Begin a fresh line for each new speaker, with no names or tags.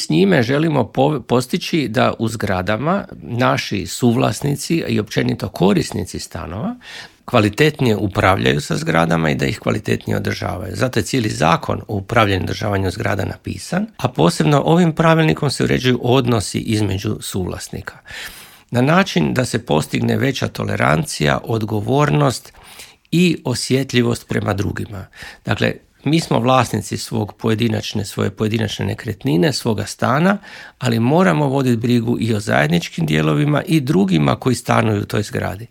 s njime želimo postići da u zgradama naši suvlasnici i općenito korisnici stanova kvalitetnije upravljaju sa zgradama i da ih kvalitetnije održavaju. Zato je cijeli zakon o upravljanju i održavanju zgrada napisan, a posebno ovim pravilnikom se uređuju odnosi između suvlasnika. Na način da se postigne veća tolerancija, odgovornost i osjetljivost prema drugima. Dakle, mi smo vlasnici svoje pojedinačne nekretnine, svoga stana, ali moramo voditi brigu i o zajedničkim dijelovima i drugima koji stanuju u toj zgradi.